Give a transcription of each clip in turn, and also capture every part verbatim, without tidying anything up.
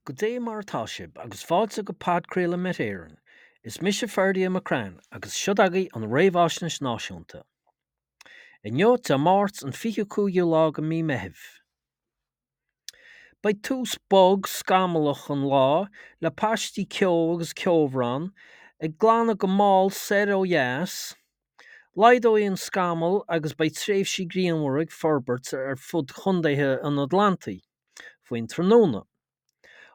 Goidé mar atá sibh agus fáilte go podchraoladh Met Éireann. Is mise Ferdia McCrann agus seo agaibh an Réamhaisnéis Náisiúnta. Inniu Dé Máirt an fiche cúigiú lá de mí Meithimh. Beidh tús bog scamallach an lá le paistí ceo agus ceobhrán ag glanadh go mall soir ó dheas. Laghdóidh an scamall agus beidh tréimhsí grianmhara ag forbairt ar fud chontaetha an Atlantaigh faoin tráthnóna.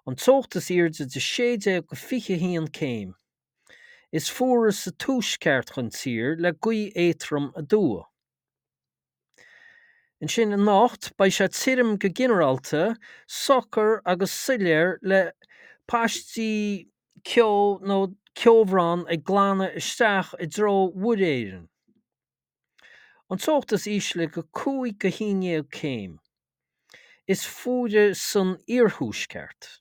An teocht is airde de sé déag go fiche haon céim. Is fuaire sa tuaisceart den tír le gaoth éadrom aduaidh. Ansin anocht beidh sé tirim go ginearálta, socair agus soiléir le paistí ceo nó ceobhrán ag glanadh isteach i dtreo Mhuir Éireann. An teocht is ísle de cúig go haon déag céim. Is fuaire san iarthuaisceart.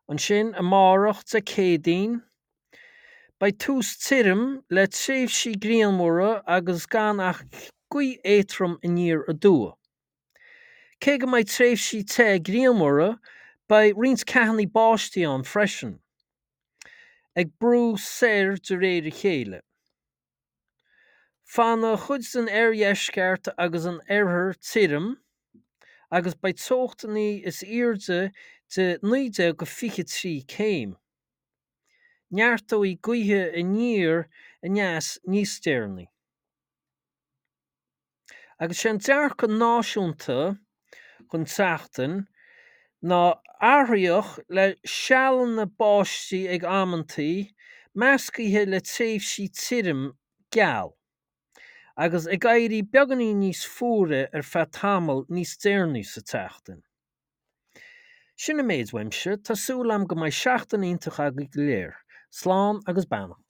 Ansin amárach Dé Céadaoin, beidh tús tirim le tréimhsí grianmhara agus gan ach gaoth éadrom aniar aduaidh. Cé go mbeidh tréimhsí te grianmhara, beidh roinnt ceathanna báistí ann freisin, ag brú soir de réir a chéile. Fanfaidh cuid den oirdheisceart agus an oirthear tirim, agus beidh teochtanna is airde de naoi déag go fiche trí céim. Neartóidh gaotha aniar aneas níos deireanaí. Agus sé an dearcadh náisiúnta don tseachtain ná athraitheach le sealanna báistí ag amantaí, meascaithe le tréimhsí tirim geal, agus ag éirí beagáinín níos fuaire ar feadh tamall níos deireanaí sa tseachtain. Sin an méid uaimse, tá súil agam go mbeidh seachtain iontach agaibh go léir. Slán agus beannacht.